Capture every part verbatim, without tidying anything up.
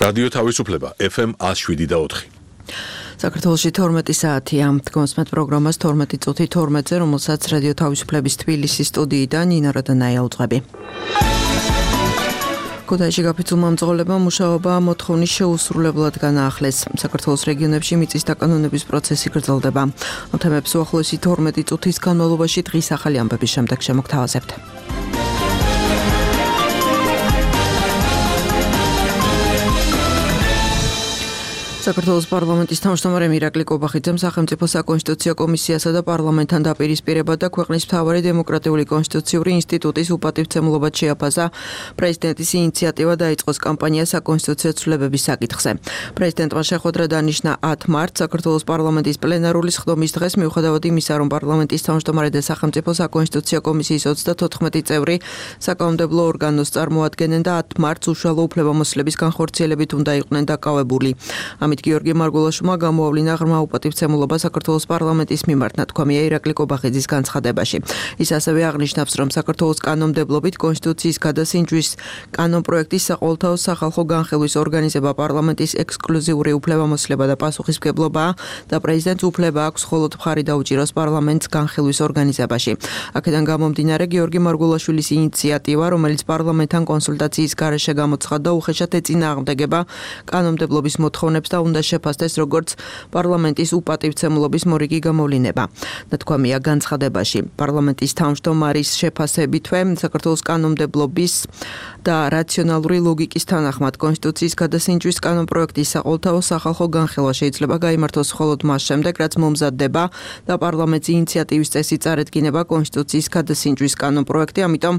რადიო თავისუფლება ეფ ემ one oh seven და four. საქართველოში თორმეტი საათია. Თქვენს პროგრამას თორმეტი წუთი თორმეტზე, რომელსაც რადიო თავისუფლების თბილისის სტუდიიდან ნინა როდანაია უძღვები. ქუთაისში გაფიცულმა მძღოლებამ მუშაობა მოთხოვნის შეუსრულებლად განაახლეს. საქართველოს რეგიონებში მიწის დაკანონების პროცესი გრძელდება. ამ თემებს უახლოესი თორმეტი წუთის განმავლობაში დღის ახალი ამბების შემდეგ შემოგთავაზებთ. საქართველოს პარლამენტის თავმჯდომარე მირაკლი კობახიძემ სახელმწიფო საკონსტიტუციო კომისიასა და პარლამენტთან დაპირისპირება და ქვეყნის მთავარი დემოკრატიული კონსტიტუციური ინსტიტუტის უპატივცემულობად შეაფასა პრეზიდენტის ინიციატივა დაიწყოს კამპანია საკონსტიტუციო ცვლილებების საკითხზე. პრეზიდენტმა შეხვედრა დანიშნა ათ მარტს საქართველოს პარლამენტის პლენარული სხდომის დღეს, მიუხედავად იმისა, რომ პარლამენტის თავმჯდომარე და სახელმწიფო საკონსტიტუციო კომისიის ოცდათოთხმეტი წევრი საკანონმდებლო ორგანოს წარმოადგენენ და ათ მარტს უშუალო უფლებამოსილების განხორციელებით უნდა იყვნენ დაკავებული. გიორგი მარგულაშვილმა გამოავლინა ღრმა უპატივცემულობა საქართველოს პარლამენტის მიმართ, ნათქვამია ირაკლი კობახიძის განცხადებაში. ის ასევე აღნიშნავს, რომ საქართველოს კანონმდებლობით კონსტიტუციის გადასინჯვის კანონპროექტის საყოველთაო სახალხო განხილვის ორგანიზება პარლამენტის ექსკლუზიური უფლებამოსილება და პასუხისმგებლობაა და პრეზიდენტს უფლება აქვს მხოლოდ მხარი დაუჭიროს პარლამენტს განხილვის ორგანიზებაში. აქედან გამომდინარე, გიორგი მარგულაშვილის ინიციატივა, რომელიც პარლამენტთან კონსულტაციის გარეშე გამოცხადდა, უხეშად ეწინააღმდეგება კანონმდებლობის მოთხოვნებს და უნდა შეფასდეს როგორც პარლამენტის უპატივცემულობის მორიგი გამოვლინება. ნათქვამია განცხადებაში. პარლამენტის თავმჯდომარის შეფასებითვე საქართველოს კანონმდებლობის და რაციონალური ლოგიკის თანახმად კონსტიტუციის გადასინჯვის კანონპროექტის საყოველთაო სახალხო განხილვა შეიძლება გაიმართოს მხოლოდ მას შემდეგ, რაც მომზადდება და პარლამენტის ინიციატივის წესი წარედგინება კონსტიტუციის გადასინჯვის კანონპროექტი, ამიტომ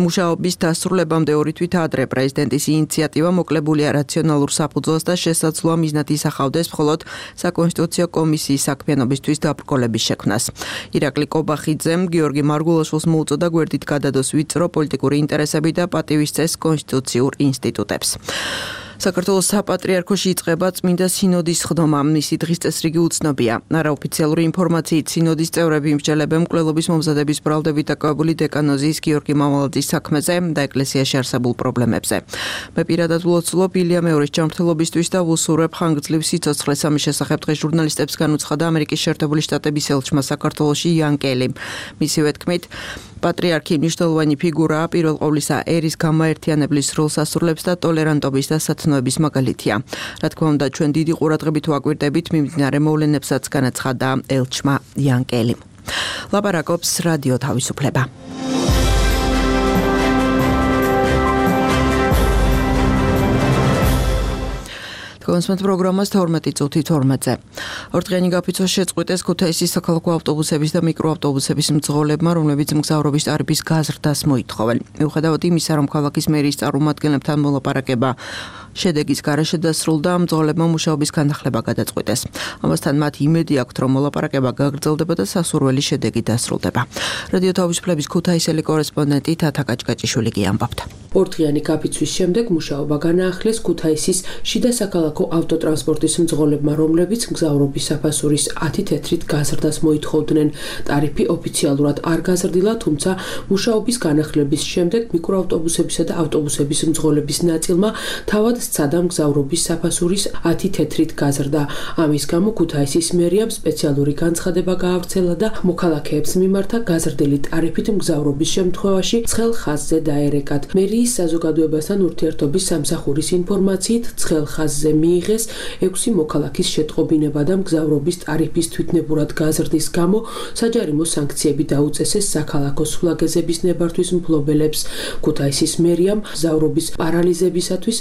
მუშაობის დასრულებამდე ორი თვით ადრე პრეზიდენტის ინიციატივა მოკლებულია რაციონალურ საფუძველს და შესაძლოა მიზნად ისახავდეს მხოლოდ საკონსტიტუციო კომისიის საქმიანობისთვის დაბრკოლების შექმნას. ირაკლი კობახიძემ გიორგი მარგულაშვილს მოუწოდა გვერდით გადადოს ვიწრო პოლიტიკური ინტერესები და პატივის წეს კონსტიტუციურ ინსტიტუტებს. საქართველოს საპატრიარქოში იწყება წმინდა სინოდის სხდომა. მისი დღის წესრიგი უცნობია. არაოფიციალური ინფორმაციით სინოდის წევრები იმსჯელებენ მკვლელობის მომზადების ბრალდებით დაკავებული დეკანოზის გიორგი მამალაძის საქმეზე და ეკლესიაში არსებულ პრობლემებზე. მე პირადად ვლოცულობ ილია მეორის ჯანმრთელობისთვის და ვუსურვებ ხანგრძლივ სიცოცხლეს. ამის შესახებ დღეს ჟურნალისტებს განუცხადა ამერიკის შეერთებული შტატების ელჩმა საქართველოში იან კელი. მისივე თქმით, პატრიარქი მნიშვნელოვანი ფიგურაა, პირველ ყოვლისა ერის გამაერთიანებლის როლს ასრულებს და ტოლერანტობის და სათნოების მაგალითია. რა თქმა უნდა, ჩვენ დიდი ყურადღებით ვაკვირდებით მიმდინარე მოვლენებსაც, განაცხადა ელჩმა იან კელი. ლაპარაკობს რადიო თავისუფლება. კონსმეთ პროგრამას თორმეტი წუთი თორმეტზე. ორდღიანი გაფიცვა შეწყვიტეს ქუთაისის საქალაქო ავტობუსების და მიკროავტობუსების მძღოლებმა, რომლებიც მგზავრობის ტარიფის გაზრდას მოითხოვენ. მიუხედავად იმისა, რომ ქალაქის მერიის წარმომადგენლებთან მოლაპარაკება შედეგის გარეშე დასრულდა, მძღოლებმა მუშაობის განახლება გადაწყვიტეს. ამასთან მათ იმედი აქვთ, რომ მოლაპარაკება გაგრძელდება და სასურველი შედეგი დასრულდება. რადიო თავისუფლების ქუთაისელი კორესპონდენტი თათა კაჭკაჭიშვილი გიამბობთ. ორდღიანი გაფიცვის შემდეგ მუშაობა განაახლეს ქუთაისის შიდა საქალაქო ავტოტრანსპორტის მძღოლებმა, რომლებიც მგზავრობის საფასურის ათი თეთრით გაზრდას მოითხოვდნენ. ტარიფი ოფიციალურად არ გაზრდილა, თუმცა მუშაობის განახლების შემდეგ მიკროავტობუსებისა და ავტობუსების მძღოლების ნაწილმა თავად სცადა მგზავრობის საფასურის ათი თეთრით გაზრდა. ამის გამო ქუთაისის მერიამ სპეციალური განცხადება გაავრცელა და მოქალაქეებს მიმართა გაზრდილი ტარიფით მგზავრობის შემთხვევაში ცხელ ხაზზე დაერეკათ. მერიის საზოგადოებასთან ურთიერთობის სამსახურის ინფორმაციით ცხელ ხაზზე მიიღეს ექვსი მოქალაქის შეტყობინება და მგზავრობის ტარიფის თვითნებურად გაზრდის გამო საჯარიმო სანქციები დაუწესეს საქალაქო სულაგეზების ნებართვის მფლობელებს. ქუთაისის მერიამ მგზავრობის პარალიზებისათვის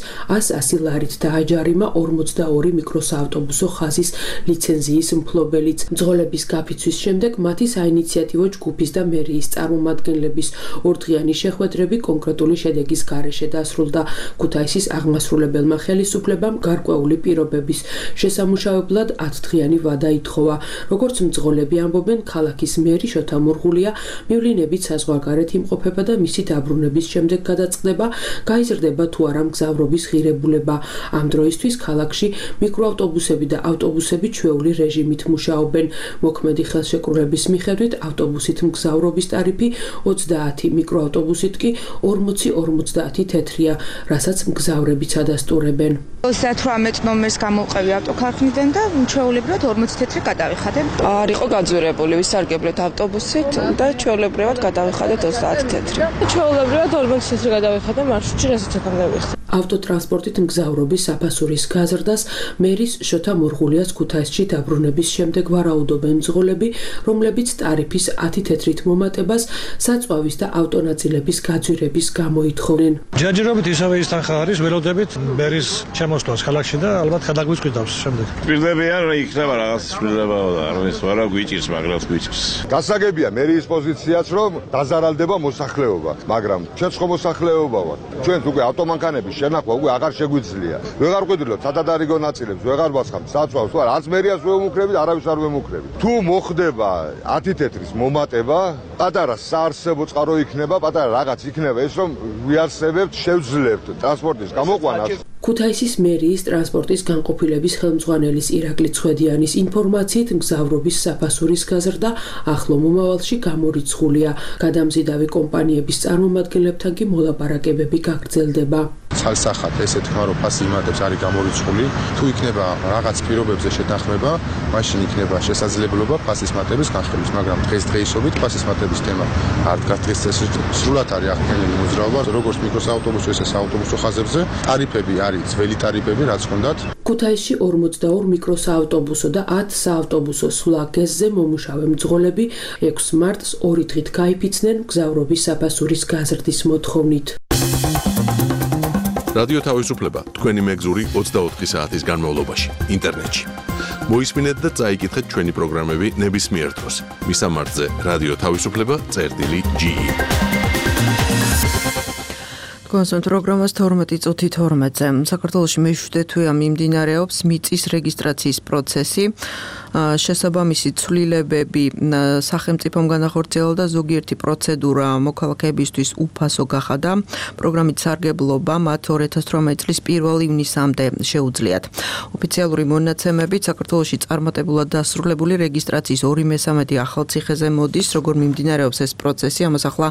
ასი ლარით დააჯარიმა ორმოცდაორი მიკროსაავტობუსო ხაზის ლიცენზიის მფლობელიც. მძღოლების გაფიცვის შემდეგ მათი საინიციატივო ჯგუფის და მერიის წარმომადგენლების ორდღიანი შეხვედრები კონკრეტული შედეგის გარეშე დასრულდა. ქუთაისის აღმასრულებელმა ხელისუფლებამ გარკვეული პირობების შესამუშავებლად ათდღიანი ვადა ითხოვა. როგორც მძღოლები ამბობენ, ქალაქის მერი შოთა მურღულია მივლინებით საზღვარგარეთ იმყოფება და მისი დაბრუნების შემდეგ გადაწყდება, გაიზრდება თუ არა მგზავრობის ღირებულება დამსახურებულება. Ამ დროისთვის ქალაქში მიკროავტობუსები და ავტობუსები ჩვეული რეჟიმით მუშაობენ. მოქმედი ხელშეკრულების მიხედვით ავტობუსით მგზავრობის ტარიფი ოცდაათი, მიკროავტობუსით კი ორმოცი ორმოცდაათი თეთრია, რასაც მგზავრები ცადასტურებენ. ოცდათვრამეტ ნომერს გამოვყევი ავტოქარხნიდან და ჩვეულებრივად ორმოცი თეთრი გადავიხადე. არ იყო გაძვირებული, ვისარგებლეთ ავტობუსით და ჩვეულებრივად გადავიხადეთ ოცდაათი თეთრი. ჩვეულებრივად ორმოცი თეთრი გადავიხადე მარშრუტში, რასაც აქამდე ვიხდი. ავტოტრანსპორტით მგზავრობის საფასურის გაზრდას მერის შოთა მურღულიას ქუთაისში დაბრუნების შემდეგ ვარაუდობენ მძღოლები, რომლებიც ტარიფის ათი თეთრით მომატებას საწვავის და ავტონაწილების გაძვირების გამო ითხოვნენ. ჯერჯერობით ისევე ის თანხა არის, ველოდებით მერის შემოსვლას ქალაქში და ალბათ გადაგვიწყვიტავს შემდეგ. პირდებიან იქნება რაღაც შვილება და არის ვარა გვიჭირს, მაგრამ გვიჭირს. გასაგებია მერის პოზიციაც, რომ დაზარალდება მოსახლეობა, მაგრამ ჩვენც ხო მოსახლეობა ვართ. ჩვენც უკვე ავტომანქანების შენახვა უკვე აღარ შეგვიძლია. ვეღარ ყვიდრილობ სადადარიგო ნაწილებს, ვეღარ ვასხამთ საწვავს, ვარ არც მერიას ვერ ვემუქრებით, არავის არ ვემუქრებით. თუ მოხდება ათი თეთრის მომატება, პატარა საარსებო წყარო იქნება, პატარა რაღაც იქნება ეს, რომ ვიარსებებთ, შევძლებთ ტრანსპორტის გამოყვანას. ქუთაისის მერიის ტრანსპორტის განყოფილების ხელმძღვანელის ირაკლი ცხედიანის ინფორმაციით მგზავრობის საფასურის გაზრდა ახლო მომავალში გამორიცხულია. გადამზიდავი კომპანიების წარმომადგენლებთან კი მოლაპარაკებები გაგრძელდება. ცალსახად ესე თქვა რომ ფასი იმატებს არის გამორიცხული, თუ იქნება რაღაც პირობებზე შეთანხმება, მაშინ იქნება შესაძლებლობა ფასის მატების განხილვის, მაგრამ დღესდღეობით ფასის მატების თემა არ დგას დღესდღეობით. სრულად არის აღქმენილი მოძრაობა, როგორც მიკროსაავტობუსო, ესე საავტობუსო ხაზებზე. ტარიფები არის ძველი ტარიფები, რაც ჰქონდათ. ქუთაისში ორმოცდაორი მიკროსაავტობუსო და ათი საავტობუსო სვლა გეზზე მომუშავე მძღოლები ექვსი მარტს ორი დღით გაიფიცნენ მგზავრობის საფასურის გაზრდის მოთხოვნით. რადიო თავისუფლება თქვენი მეგზური ოცდაოთხი საათის განმავლობაში ინტერნეტში. მოისმინეთ და წაიკითხეთ ჩვენი პროგრამები ნებისმიერ დროს. მისამართზე რადიო თავისუფლება წერტილი ჯი. კონსულტ პროგრამას თორმეტი წუთი თორმეტზე. საქართველოში მეშვიდე თვეა მიმდინარეობს მიწის რეგისტრაციის პროცესი. შესაბამისი ცვლილებები სახელმწიფომ განახორციელა და ზოგიერთი პროცედურა მოქალაქეებისთვის უფასო გახადა. პროგრამით სარგებლობა მათ ორი ათას ათორმეტი წლის პირველი ივნისამდე შეუძლიათ. ოფიციალური მონაცემებით საქართველოში წარმატებულად დასრულებული რეგისტრაციის ორი მესამედი ახალციხეზე მოდის. როგორ მიმდინარეობს ეს პროცესი, ამას ახლა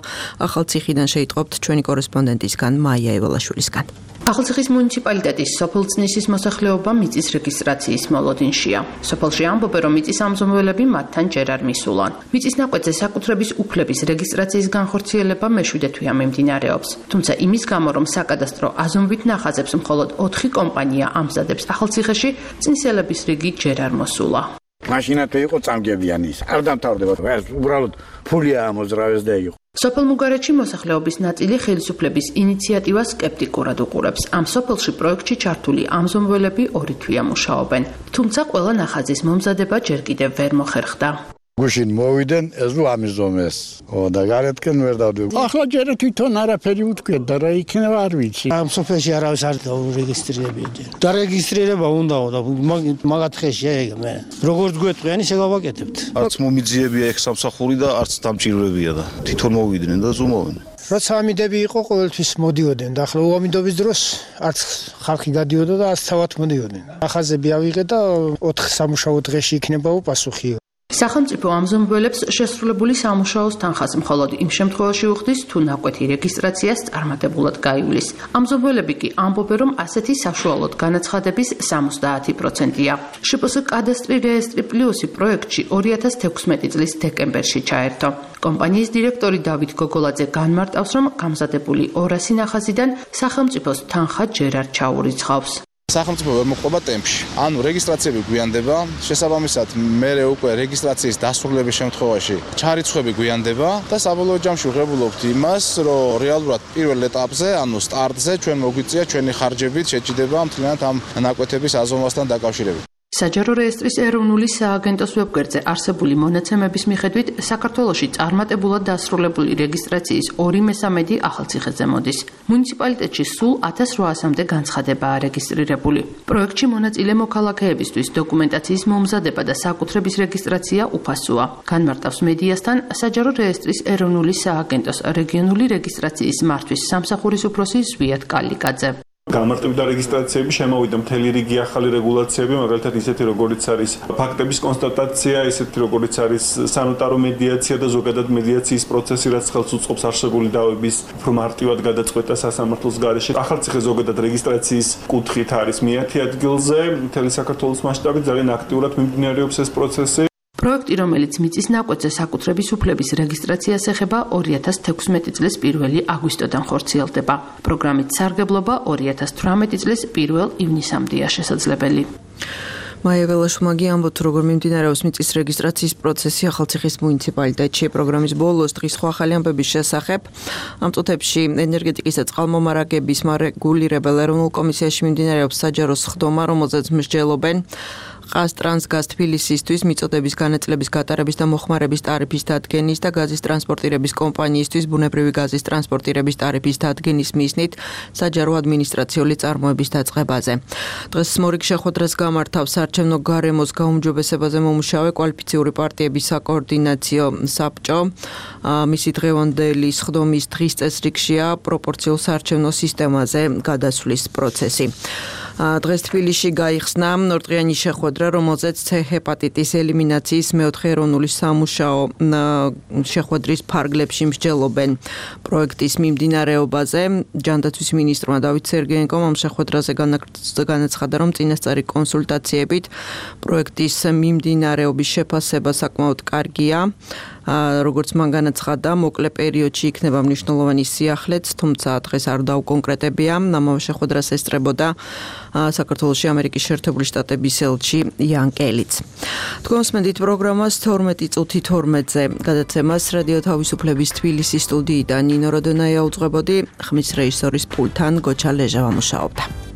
ახალციხიდან შეიტყობთ ჩვენი კორესპონდენტისგან მაია ევალაშვილისგან. ახალციხის მუნიციპალიტეტის სოფელწნისის მოსახლეობა მიწის რეგისტრაციის მოლოდინშია. სოფელში ამბობენ, რომ მიწის ამზომველები მათთან ჯერ არ მისულან. მიწის ნაკვეთზე საკუთრების უფლების რეგისტრაციის განხორციელება მეშვიდე თვეა მიმდინარეობს. თუმცა იმის გამო, რომ საკადასტრო აზომვით ნახაზებს მხოლოდ ოთხი კომპანია ამზადებს ახალციხეში, წინსელების რიგი ჯერ არ მოსულა. მაშინათვე იყო წამგებიანი ის. არ დამთავრდება. ეს უბრალოდ ფულია ამოძრავეს და იყო. სოფელ მუგარეთში მოსახლეობის ნაწილი ხელისუფლების ინიციატივას სკეპტიკურად უყურებს. ამ სოფელში პროექტში ჩართული ამზომველები ორი თვეა მუშაობენ. თუმცა ყველა ნახაზის მომზადება ჯერ კიდევ ვერ მოხერხდა. გუშინ მოვიდნენ ეს რო ამიზომეს. ო და გარეთკენ ვერ დავდივ. ახლა ჯერ თვითონ არაფერი უთქვია და რა იქნება არ ვიცი. ამ სოფელში არავის არ დაურეგისტრირებია. დარეგისტრირება უნდაო და მაგათ ხეშია ეგ მე. როგორც გვეტყვიან ისე გავაკეთებთ. არც მომიძიებია ეგ სამსახური და არც დამჭირვებია და თვითონ მოვიდნენ და ზუმოვენ. როცა ამიდები იყო ყოველთვის მოდიოდნენ და ახლა უამიდობის დროს არც ხალხი გადიოდა და არც თავად მოდიოდნენ. ახაზები ავიღე და ოთხ სამუშაო დღეში იქნება უპასუხი. სახელმწიფო ამზომველებს შესრულებული სამუშაოს თანხას მხოლოდ იმ შემთხვევაში უხდის, თუ ნაკვეთი რეგისტრაციას წარმატებულად გაივლის. ამზომველები კი ამბობენ, რომ ასეთი საშუალოდ განაცხადების სამოცდაათი პროცენტია. შპს კადასტრი რეესტრი პლუსი პროექტში ორი ათას თექვსმეტი წლის დეკემბერში ჩაერთო. კომპანიის დირექტორი დავით გოგოლაძე განმარტავს, რომ გამზადებული ორასი ნახაზიდან სახელმწიფოს თანხა ჯერ არ ჩაურიცხავს. სახელმწიფო ვერ მოყვება ტემპში. ანუ რეგისტრაციები გვიანდება, შესაბამისად მერე უკვე რეგისტრაციის დასრულების შემთხვევაში ჩარიცხვები გვიანდება და საბოლოო ჯამში ვღებულობთ იმას, რომ რეალურად პირველ ეტაპზე, ანუ სტარტზე ჩვენ მოგვიწია ჩვენი ხარჯებით შეჭიდება მთლიანად ამ ნაკვეთების აზომვასთან დაკავშირებით. საჯარო რეესტრის ეროვნული სააგენტოს ვებგვერდზე არსებული მონაცემების მიხედვით საქართველოში წარმატებულად დასრულებული რეგისტრაციის ორი მესამედი ახალციხეზე მოდის. მუნიციპალიტეტში სულ ათას რვაასამდე განცხადებაა რეგისტრირებული. პროექტში მონაწილე მოქალაქეებისთვის დოკუმენტაციის მომზადება და საკუთრების რეგისტრაცია უფასოა. განმარტავს მედიასთან საჯარო რეესტრის ეროვნული სააგენტოს რეგიონული რეგისტრაციის მართვის სამსახურის უფროსი ზვიად კალიკაძე. გამარტივდა რეგისტრაციები, შემოვიდა მთელი რიგი ახალი რეგულაციები, მაგალითად ისეთი როგორიც არის ფაქტების კონსტატაცია, ისეთი როგორიც არის სანოტარო მედიაცია და ზოგადად მედიაციის პროცესი, რაც ხელს უწყობს არსებული დავების უფრო მარტივად გადაწყვეტა სასამართლოს გარეშე. ახალციხე ზოგადად რეგისტრაციის კუთხით არის მეათე ადგილზე, მთელი საქართველოს მასშტაბით ძალიან აქტიურად მიმდინარეობს ეს პროცესი. პროექტი, რომელიც მიწის ნაკვეთზე საკუთრების უფლების რეგისტრაციას ეხება, ორი ათას თექვსმეტი წლის პირველი აგვისტოდან ხორციელდება. პროგრამით სარგებლობა ორი ათას თვრამეტი წლის პირველ ივნისამდეა შესაძლებელი. მაია ველაშმაგი ამბობთ, როგორ მიმდინარეობს მიწის რეგისტრაციის პროცესი ახალციხის მუნიციპალიტეტში. პროგრამის ბოლოს დღის სხვა ახალი ამბების შესახებ ამ წუთებში ენერგეტიკის და წყალმომარაგების მარეგულირებელ ეროვნულ კომისიაში მიმდინარეობს საჯარო სხდომა, რომელზეც მსჯელობენ ყაზტრანსგაზ თბილისისთვის მიწოდების განაწილების გატარების და მოხმარების ტარიფის დადგენის და გაზის ტრანსპორტირების კომპანიისთვის ბუნებრივი გაზის ტრანსპორტირების ტარიფის დადგენის მიზნით საჯარო ადმინისტრაციული წარმოების დაწყებაზე. დღეს მორიგ შეხვედრას გამართავს საარჩევნო გარემოს გაუმჯობესებაზე მომუშავე კვალიფიციური პარტიების საკოორდინაციო საბჭო. მისი დღევანდელი სხდომის დღის წესრიგშია პროპორციულ საარჩევნო სისტემაზე გადასვლის პროცესი. დღეს თბილისში გაიხსნა ორდღიანი შეხვედრა, რომელზეც C ჰეპატიტის ელიმინაციის მეოთხე ეროვნული სამუშაო შეხვედრის ფარგლებში მსჯელობენ პროექტის მიმდინარეობაზე. ჯანდაცვის მინისტრმა დავით სერგეენკომ ამ შეხვედრაზე განაცხადა, რომ წინასწარი კონსულტაციებით პროექტის მიმდინარეობის შეფასება საკმაოდ კარგია. როგორც მან განაცხადა, მოკლე პერიოდში იქნება მნიშვნელოვანი სიახლეც, თუმცა დღეს არ დაუკონკრეტებია. ამავე შეხვედრას ესწრებოდა საქართველოში ამერიკის შეერთებული შტატების ელჩი იან კელიც. თქვენ მსმენთ პროგრამას თორმეტი წუთი თორმეტზე. გადაცემას რადიო თავისუფლების თბილისის სტუდიიდან ნინო როდონაია უძღვებოდი, ხმის რეჟისორის პულტთან გოჩა ლეჟავა მუშაობდა.